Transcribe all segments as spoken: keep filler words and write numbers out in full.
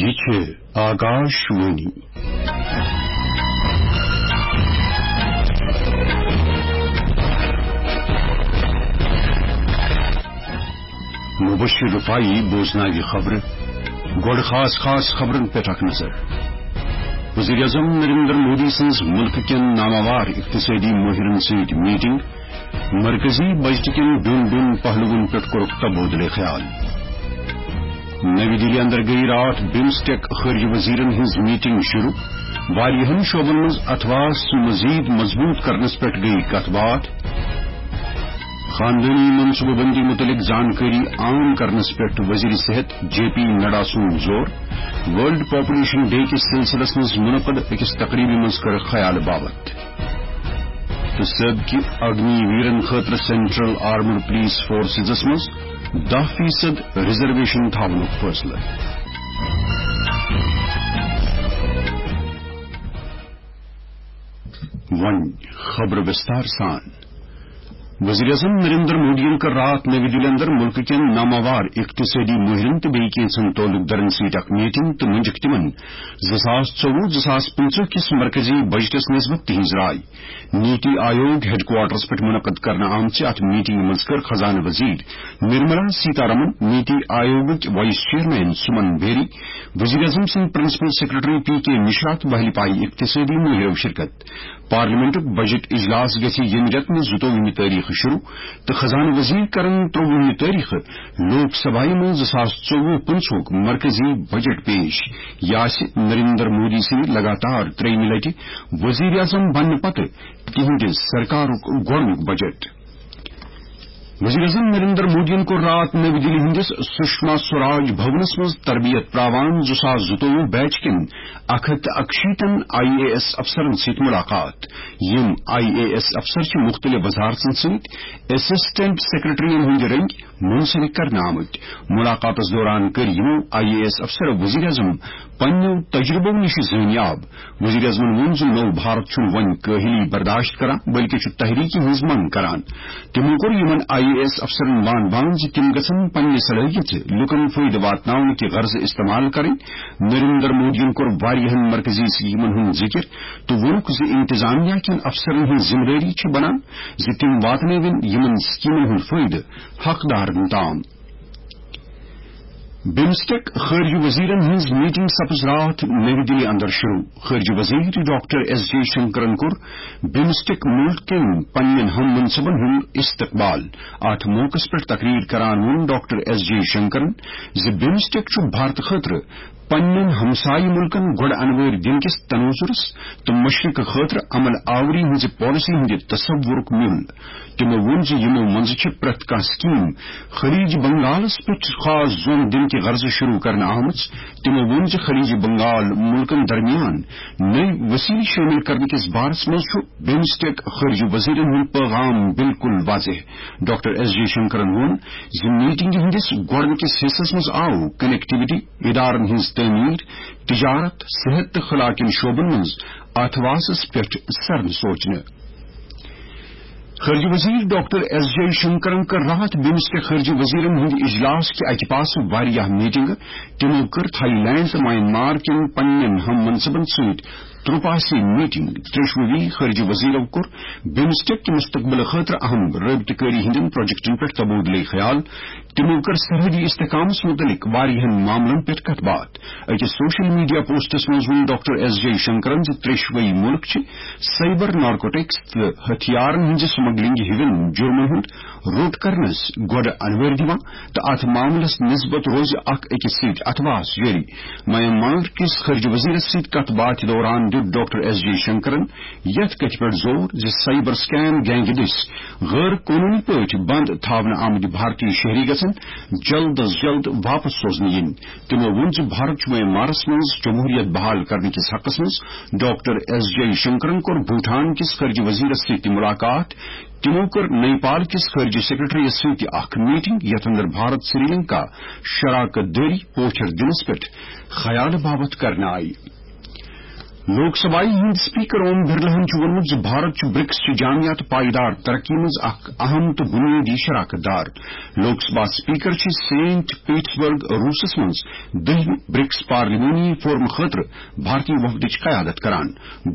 یہِ چھِ آکاش وانی۔ مبشر رفاعی بوزناوِ خبرٕ۔ گۄڈٕ خاص خاص خبرن پٮ۪ٹھ اکھ نظر۔ وزیر اعظم نریندر مودی سٕنٛز مُلکہٕ کٮ۪ن ناماوار اقتصٲدی مٲہرن سۭتۍ میٹنگ۔ مرکزی بجٹ کٮ۪ن دۄن دۄن پہلوَن پٮ۪ٹھ کوٚرُکھ تبادلہٕ خیال۔ نٔوی دِلہِ اندر گٔیہِ راتھ بِمسٹیک خارجہ وزیرن ہٕنٛز میٹنگ شروع۔ واریاہن شعبن منٛز اتھواس مزید مضبوط کرنس پٮ۪ٹھ گٔیہِ کتھ باتھ۔ خاندٲنی منصوبہٕ بندی متعلق زانکٲری عام کرنس پٮ۪ٹھ وزیر صحت جے پی نڈا سُنٛد زور۔ ورلڈ پاپولیشن ڈے کِس سلسلس منٛز منعقد أکِس تقریبہِ منٛز کٔر خیال باوتھ۔ تہٕ سٲبقہٕ اگنی ویرن خٲطرٕ سینٹرل آرمڈ پولیس فورسزس منٛز دَہ فیصد ریزرویشن تھاونُک فٲصلہٕ۔ وۄنۍ خبرٕ وِستار سان۔ وزیر اعظم نریندر مودیَن کٔر راتھ نٔوی دِلہِ اندر مُلکہٕ کٮ۪ن ناماوار اقتصٲدی مٲہرن تہٕ بیٚیہِ کینٛژن تعلق دارن سۭتۍ اکھ میٹنگ تہٕ مٔنٛجِکھ تِمن زٕ ساس ژوٚوُہ زٕ ساس پٕنٛژٕہ کِس مرکزی بجٹس نسبت تِہنٛز راے۔ نیتی آیوگ ہیڈ کوارٹرس پٮ۪ٹھ منعقد کرنہٕ آمژِ اتھ میٹنگہِ منٛز کٔر خزانہٕ وزیر نرملا سیتارمن، نیتی آیوگٕکۍ وائس چیئرمین سمن بیری، وزیر اعظم سٕنٛدۍ پرنسپل سیکرٹری پی کے مشرا تہٕ بحلی پایہِ اقتصٲدی مٲہرو شرکت۔ پارلیمنٹُک بجٹ اجلاس گژھِ ییٚمہِ رٮ۪تہٕ منٛز زٕتووُہمہِ تٲریخہٕ شروع تہٕ خزانہٕ وزیر کرن ترٛووُہمہِ تٲریخہٕ لوک سبھایہِ منٛز زٕ ساس ژوٚوُہ پٕنٛژٕہُک مرکزی بجٹ پیش۔ یہِ آسہِ نریندر مودی سٕنٛدِ لگاتار ترٛیٚیِمہِ لٹہِ وزیر اعظم بننہٕ پتہٕ تِہنٛدِ سرکارُک گۄڈٕنیُک بجٹ۔ وزیر اعظم نریندر مودیَن کوٚر راتھ نٔوی دِلہِ ہٕنٛدِس سشما سوراج بھونس منٛز تربیت پراوان زٕ ساس زٕتووُہ بیچ کٮ۪ن اکھ ہتھ تہٕ اکشیٖتن آئی اے ایس افسرن سۭتۍ ملاقات۔ یِم آئی اے ایس افسر چھِ مُختٔلِف وزارتن سۭتۍ اسسٹنٹ سیکرٹریَن ہٕنٛدۍ رٔنگۍ منسلک کرنہٕ آمٕتۍ۔ ملاقاتس دوران کٔرۍ یِمو آئی اے ایس افسرو وزیر اعظم پننیو تجربو نِش زٲنیاب۔ وزیر اعظمن ووٚن زِ نوٚو بھارت چھُنہٕ وۄنۍ کٲہِلی برداشت کران، بلکہِ چھُ تحریکی ہٕنٛز منگ کران۔ تِمو کوٚر یِمن آئی اے ایس افسرن وان وان زِ تِم گژھن پننہِ صلٲحیژٕ لوٗکن فٲیدٕ واتناونہٕ کہِ غرضہٕ استعمال کرٕنۍ۔ نریندر مودیَن کوٚر واریاہن مرکزی سکیمن ہُنٛد ذِکر تہٕ ووٚنُکھ زِ انتظامیہ کٮ۪ن افسرن ہٕنٛز ذمہٕ دٲری چھِ بنان زِ تِم واتنٲوِن یِمن سکیمن ہُنٛد فٲیدٕ حقدارن تام۔ بمسٹیک خارجہ وزیرن ہٕنٛز میٹنگ سپز راتھ نئی دہلی اندر شروع۔ خارجہ وزیر ڈاکٹر ایس جے شنکرن کوٚر بمسٹیک ملک کٮ۪ن پننٮ۪ن ہم منصبن ہُنٛد استقبال۔ اتھ موقعس پٮ۪ٹھ تقریر کران ووٚن ڈاکٹر ایس جے شنکرن زِ بمسٹیک چھُ بھارت خٲطرٕ پننٮ۪ن ہمسایہ ملکن گۄڈٕ انوٲرۍ دِنہٕ کِس تنوظرس تہٕ مشرق خٲطرٕ عمل آوری ہٕنٛزِ پالیسی ہٕنٛدِ تصورُک میُل۔ تِمو ووٚن زِ یِمو منٛزٕ چھِ پرٛٮ۪تھ کانٛہہ سکیٖم خلیج بنگالس پٮ۪ٹھ خاص زوٚن دِنہٕ کہِ غرضہٕ شروع کرنہٕ آمٕژ۔ تِمو ووٚن زِ خلیج بنگال مُلکن درمیان نٔوۍ وسیلہٕ شٲمِل کرنہٕ کِس بارس منٛز چھُ بمسٹیک خارجہ وزیرن ہُنٛد پیغام بالکل واضح۔ ڈاکٹر ایس جے شنکرن ووٚن زِ میٹنگہِ ہٕنٛدِس گۄڈٕنِکِس حصس منٛز آو کنیکٹیویٹی، ادارن ہٕنٛز تعمیٖر، تجارت، صحت تہٕ خلا کٮ۪ن شعبن منٛز اتھواسس پٮ۪ٹھ سرن سوچنہٕ۔ خارجہ وزیر ڈاکٹر ایس جے شنکرن کٔر راتھ بمسٹیک خارجہ وزیرن ہٕنٛدِ اجلاس کہِ اکہِ پاسہٕ واریاہ میٹنگہٕ۔ تِمو کٔر تھائی لینڈ تہٕ میانمار کٮ۪ن پننٮ۪ن ہم منصبن سۭتۍ ترٛوپاسی میٹنگ۔ ترٛیشوٕے خارجہ وزیرو کوٚر بمسٹیک کہِ مستقبل خٲطرٕ اہم رٲبطہٕ کٲری ہٕنٛدٮ۪ن پروجیکٹن پٮ۪ٹھ تبادلہٕ خیال۔ تِمو کٔر سرحدی استحکامس متعلق واریاہن معاملن پٮ۪ٹھ کتھ باتھ۔ أکِس سوشل میڈیا پوسٹس منٛز ووٚن ڈاکٹر ایس جے شنکرن زِ ترٛیشوٕے مُلک چھِ سائبر نارکوٹکس تہٕ ہتھیارن ہٕنٛزِ سمگلنگ ہِوٮ۪ن جرمن ہُنٛد روٚٹ کرنس گۄڈٕ انوٲرۍ دِوان تہٕ اتھ معاملس نسبت روزِ اکھ أکِس سۭتۍ اتھواس جٲری۔ میانمار کِس خارجہ وزیرس سۭتۍ کتھ باتھ دوران دیُت ڈاکٹر ایس جے شنکرن یتھ کتھِ پٮ۪ٹھ زور زِ سائبر سکیم گینگہِ دٔسۍ غٲر قونوٗنی پٲٹھۍ بند تھاونہٕ آمٕتۍ بھارتی شہری گژھن جلد از جلد واپس سوزنہٕ یِنۍ۔ تِمو ووٚن زِ بھارت چھُ میانمارس منٛز جمہوریت بحال کرنہٕ کِس حقس منٛز۔ ڈاکٹر ایس جے شنکرن کوٚر بھوٹان کِس خارجہ وزیرس سۭتۍ تہِ ملاقات۔ تِمو کٔر نیپال کِس خارجہ سیکرٹریس سۭتۍ تہِ اکھ میٹنگ، یتھ اندر بھارت سری لنکا شراکت دٲری پوچھر دِنس پٮ۪ٹھ خیال باوتھ کرنہٕ آیہِ۔ لوک سبھایہ ہٕنٛدۍ سپیکر اوم برلاہن چھُ ووٚنمُت زِ بھارت چھُ برکس چہِ جامع تہٕ پائیدار ترقی منٛز اکھ اہم تہٕ بنیٲدی شراکت دار۔ لوک سبھا سپیکر چھِ سینٹ پیٹرسبرگ روسس منٛز دٔہمہِ برکس پارلیمانی فورم خٲطرٕ بھارتی وفدٕچ قیادت کران۔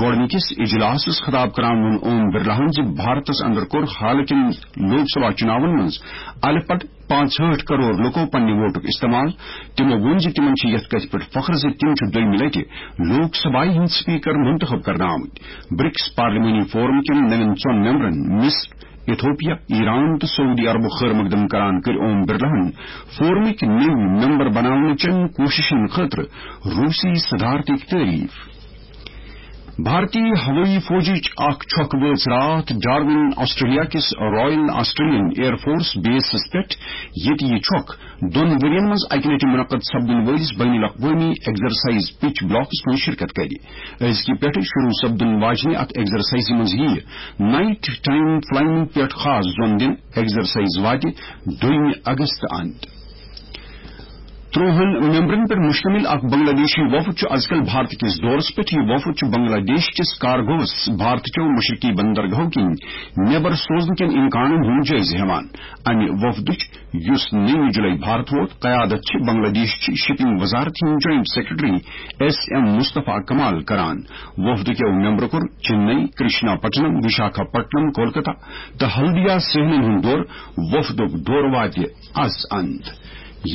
گۄڈٕنِکِس اجلاسس خطاب کران ووٚن اوم برلاہن زِ بھارتس اندر کوٚر حالٕکٮ۪ن لوک سبھا چُناون منٛز الہٕ پلہٕ پانٛژہٲٹھ کرور لوکو پننہِ ووٹُک استعمال۔ تِمو ووٚن زِ تِمن چھِ یتھ کتھِ پٮ۪ٹھ فخر زِ تِم چھِ دوٚیمہِ لٹہِ لوک سبھایہ ہٕنٛدۍ سپیکر منتخب کرنہٕ آمٕتۍ۔ برکس پارلیمانی فورم کٮ۪ن نوٮ۪ن ژۄن ممبرن مصر، ایتھوپیا، ایران تہٕ سعودی عربُک خیر مقدم کران کٔرۍ اوم برلاہن فورمٕکۍ نٔوۍ ممبر بناونہٕ چٮ۪ن کوٗششن خٲطرٕ روسی صدارتٕکۍ تعریف۔ بھارتی ہوٲیی فوجٕچ اکھ چھۄکھ وٲژ راتھ ڈارون آسٹریلیا کِس رائل آسٹریلین ایئر فورس بیسس پٮ۪ٹھ، ییٚتہِ یہِ چھۄکھ دۄن ؤرین منٛز اکہِ لٹہِ منعقد سپدن وٲلِس بین الاقوٲمی ایگزرسائز پچ بلاکس منٛز شرکت کرِ۔ أزکہِ پٮ۪ٹھٕ شروع سپدن واجنہِ اتھ ایگزرسائزِ منٛز یِیہِ نائٹ ٹائم فلائنگ پٮ۪ٹھ خاص زون دِنہٕ۔ ایگزرسائز واتہِ دوٚیمہِ اگست اند۔ ترٛوہن ممبرن پٮ۪ٹھ مشتمل اکھ بنگلہ دیشی وفد چھُ ازکل بھارت کِس دورس پٮ۪ٹھ۔ یہِ وفد چھُ بنگلہ دیش کِس کارگوس بھارت چٮ۪و مشرقی بندرگاہو کِنۍ نٮ۪بر سوزنہٕ کٮ۪ن امکانن ہُنٛد جٲیزٕ ہٮ۪وان۔ امہِ وفدٕچ، یُس نٔیمہِ جُلای بھارت ووت، قیادت چھِ بنگلہ دیش چہِ شپنگ وزارت ہٕنٛدۍ جوائنٹ سیکرٹری ایس ایم مصطفیٰ کمال کران۔ وفدٕ کٮ۪و ممبرو کوٚر چنئی، کرشنا پٹنم، وشاکھا پٹنم، کولکتہ تہٕ ہلدیا سہنن ہُنٛد دورٕ۔ وفدُک دورٕ واتہِ از اند۔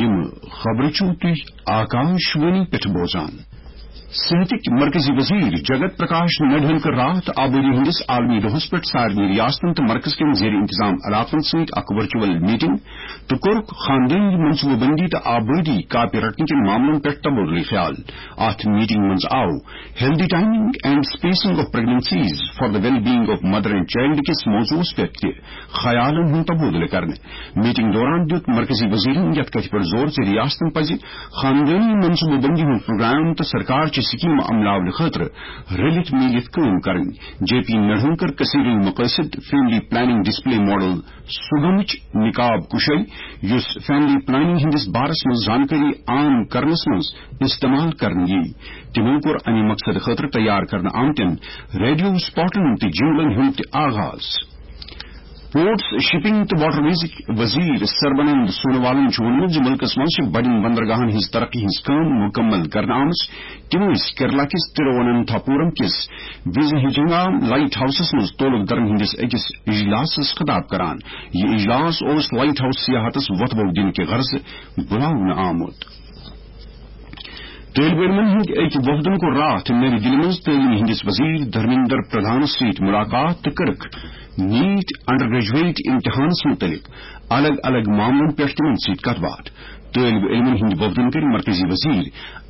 یِم خبرٕ چھِو تُہۍ آکاش وانی پٮ۪ٹھ بوزان۔ صحتٕکۍ مرکزی وزیر جگت پرکاش نڈہن کٔر راتھ آبٲدی ہٕنٛدِس عالمی دۄہس پٮ۪ٹھ سارنٕے ریاستن تہٕ مرکز کٮ۪ن زیر انتظام علاقن سۭتۍ اکھ ورچوئل میٹنگ تہٕ کوٚرُکھ خاندٲنی منصوبہٕ بندی تہٕ آبٲدی کاپہِ رٹنہٕ کٮ۪ن معاملن پٮ۪ٹھ تبادلہٕ خیال۔ اتھ میٹنگ منٛز آو Healthy Timing and Spacing of Pregnancies for the Well-Being of Mother and Child کِس موضوعس پٮ۪ٹھ تہِ خیالن ہُنٛد تبادلہٕ کرنہٕ۔ میٹنگ دوران دیُت مرکزی وزیرن یتھ کتھِ پٮ۪ٹھ زور زِ ریاستن پزِ خاندٲنی منصوبہٕ بندی ہُنٛد پروگرام تہٕ سرکار چہِ سکیمہٕ عملاونہٕ خٲطرٕ رلِتھ میٖلِتھ کٲم کرٕنۍ۔ جے پی نڈہن کٔر کثیر المقاصد فیملی پلاننگ ڈسپلے ماڈل سُگمٕچ نقاب کُشٲیی، یُس فیملی پلاننگ ہٕنٛدِس بارس منٛز زانکٲری عام کرنس منٛز استعمال کرنہٕ یِیہِ۔ تِمو کوٚر امہِ مقصدٕ خٲطرٕ تیار کرنہٕ آمتٮ۪ن ریڈیو سپاٹن تہٕ جنگلن ہُنٛد تہِ آغاز۔ پورٹس، شپنگ تہٕ واٹر ویزٕکۍ وزیر سربانند سونوالن چھُ ووٚنمُت زِ مُلکس منٛز چھِ بڑٮ۪ن بندرگاہن ہٕنٛز ترقی ہٕنٛز کٲم مُکمل کرنہٕ آمٕژ۔ تِم ٲسۍ کیرلا کِس ترواننتھاپورم کِس وزہجنگام لائٹ ہاؤسس منٛز تعلق دارن ہٕنٛدِس أکِس اجلاسس خطاب کران۔ یہِ اجلاس اوس لائٹ ہاؤس سیاحتس وۄتھٕ بو دِنہٕ کہِ غرضہٕ بُلاونہٕ آمُت۔ طٲلبہِ علمن ہٕنٛدۍ أکۍ وفدن کوٚر راتھ نٔوِ دِلہِ منٛز تعلیٖم ہٕنٛدِس وزیر دھرمیندر پردھانس سۭتۍ مُلاقات تہٕ کٔرٕکھ نیٹ انڈر گریجویٹ امتحانس مُتعلق الگ الگ معاملن پٮ۪ٹھ تِمن سۭتۍ کتھ باتھ۔ طٲلبہِ علمن ہٕنٛدۍ وفدن کٔرۍ مرکزی وزیر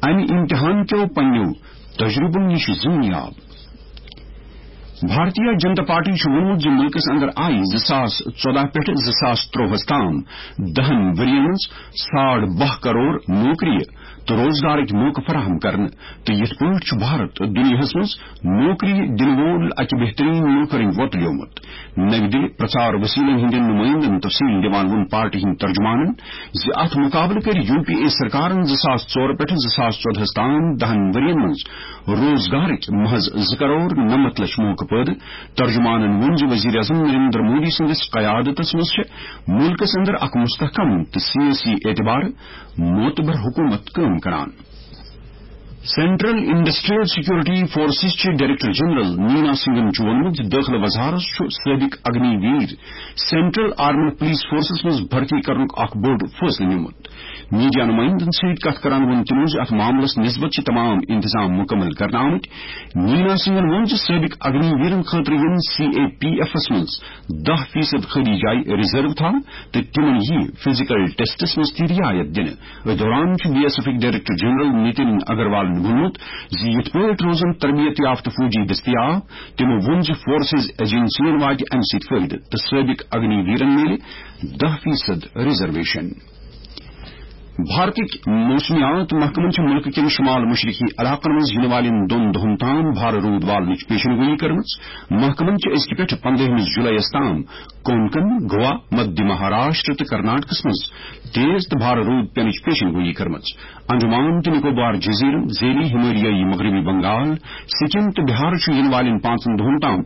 امہِ امتحان کیو پننیو تجربو نِش زٲنیاب۔ بھارتیہ جنتا پارٹی چھُ ووٚنمُت زِ مُلکَس اندر آیہِ زٕ ساس ژۄدہ پٮ۪ٹھ زٕ ساس ترٛۆہَس تام دَہَن ؤرۍ یَن منٛز ساڑ باہ کرور نوکری تہٕ روزگارٕکۍ موقعہٕ فراہم کرنہٕ، تہٕ یِتھ پٲٹھۍ چھُ بھارت دُنیاہَس منٛز نوکری دِنہٕ وول اکہِ بہتریٖن مُلکہٕ رٔنگۍ وۄتلیومُت۔ نَوِ دِلہِ پرچار وسیلن ہٕنٛدٮ۪ن نُمٲیندن تفصیل دِوان ووٚن پارٹی ہٕنٛدۍ ترجمانن زِ اتھ مُقابلہٕ کٔرۍ یو پی اے سرکارن زٕ ساس ژور پٮ۪ٹھ زٕ ساس ژۄدہَس تام دَہَن ؤرۍ یَن منٛز روزگارٕکۍ محض زٕ کرور نَمَتھ لچھ موقعہٕ پٲدٕ۔ ترجمانن ووٚن زِ وزیر اعظم نریندر مودی سٕنٛدِس قیادتس منٛز چھِ مُلکس اندر اکھ مستحکم تہٕ سیٲسی اعتبار معتبر حکومت کٲم کران۔ سینٹرل انڈسٹریل سیکورٹی فورسز چہِ ڈائریکٹر جنرل نینا سنگھن چھُ ووٚنمُت زِ دٲخلہٕ وزارت چھُ سٲبق اگنی ویر سینٹرل آرمڈ پولیس فورسز منٛز بھرتی کرنُک اکھ بوٚڑ فٲصلہٕ نیومُت۔ میڈیا نمائندن سۭتۍ کتھ کران ووٚن تِمو زِ اتھ معاملس نسبت چھِ تمام انتظام مکمل کرنہٕ آمٕتۍ۔ نینا سنگھن ووٚن زِ سٲبق اگنی ویرن خٲطرٕ یِن سی اے پی ایفس منٛز دَہ فیصد خٲلی جایہِ ریزرو تھاونہٕ تہٕ تِمن یِیہِ فزیکل ٹیسٹس منٛز تہِ رعایت دِنہٕ۔ أتھۍ دوران چھُ بی ایس ایفٕکۍ ڈائریکٹر جنرل نتن اگروالن ووٚنمُت زِ یِتھ پٲٹھۍ روزن تربیت یافتہٕ فوجی دٔستیاب۔ تِمو ووٚن زِ فورسز ایجنسین واتہِ امہِ سۭتۍ فٲیدٕ تہٕ سٲبق اگنی ویرن میلہِ دَہ فیصد ریزرویشن۔ بھارتٕکۍ موسمیات محکمن چھِ مُلکہٕ کٮ۪ن شمال مشرقی علاقن منٛز یِنہٕ والٮ۪ن دۄن دۄہن تام بھارٕ روٗد والنٕچ پیشن گویی کٔرمٕژ۔ محکمن چھِ أزکہِ پٮ۪ٹھٕ پندہمِس جُلایَس تام کونکن، گوا، مدھیہ مہاراشٹر تہٕ کرناٹکس منٛز تیز تہٕ بھارٕ روٗد پینٕچ پیشن گویی کٔرمٕژ۔ انڈمان تہٕ نکوبار جزیرن، ذیلی ہمالیائی مغربی بنگال، سکم تہٕ بہار چھُ یِنہٕ والٮ۪ن پانٛژن دۄہن تام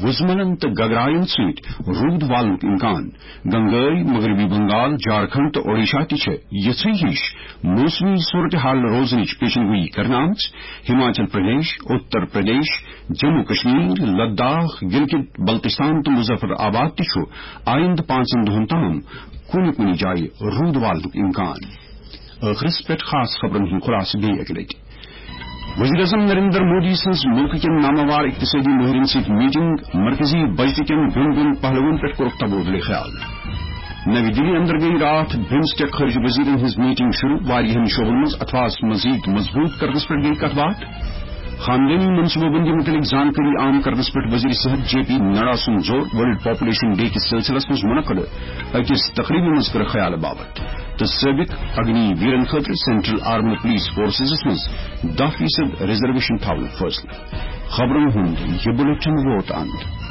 وُزملن تہٕ گگراین سۭتۍ روٗد والنُک امکان۔ گنگٲے، مغربی بنگال، جھارکھنڈ تہٕ اوڈیشہ تہِ چھِ یِژھٕے ہِش موسمی صورتحال روزنٕچ پیشن گویی کرنہٕ آمٕژ۔ ہماچل پردیش، اتر پردیش، جموں کشمیر، لداخ، گلگت بلتستان تہٕ مظفر آباد تہِ چھُ آیندٕ پانٛژن دۄہن تام کُنہِ کُنہِ جایہِ روٗد والنُک امکان۔ ٲخرس پٮ۪ٹھ خاص خبرن ہُنٛد خلاصہٕ بیٚیہِ اکہِ لٹہِ۔ وزیر اعظم نریندر مودی سٕنٛز مُلکہٕ کٮ۪ن ناماوار اقتصٲدی مٲہرن سۭتۍ میٹنگ، مرکزی بجٹ کٮ۪ن دۄن دۄن پہلوَن پٮ۪ٹھ کوٚرُکھ تبادلہٕ خیال۔ نَوِ دِلہِ اندر گٔیہِ راتھ بمسٹیک خارجہ وزیرن ہٕنٛز میٹنگ شروع، واریاہن شعبن منٛز اتھواس مزید مضبوط کرنس پٮ۪ٹھ گٔیہِ کتھ باتھ۔ خاندٲنی منصوبہٕ بندی متعلق زانکٲری عام کرنس پٮ۪ٹھ وزیر صحت جے پی نڈا سُنٛد زور، ورلڈ پاپولیشن ڈے کِس سلسلس منٛز منعقد أکِس تقریبہِ منٛز کٔر خیال باوت۔ تہٕ سٲبق اگنی ویرن خٲطرٕ سینٹرل آرمڈ پولیس فورسزس منٛز دَہ فیصد ریزرویشن تھاونُک فٲصلہٕ۔ خبرن ہُنٛد یہِ بلیٹن ووت اند۔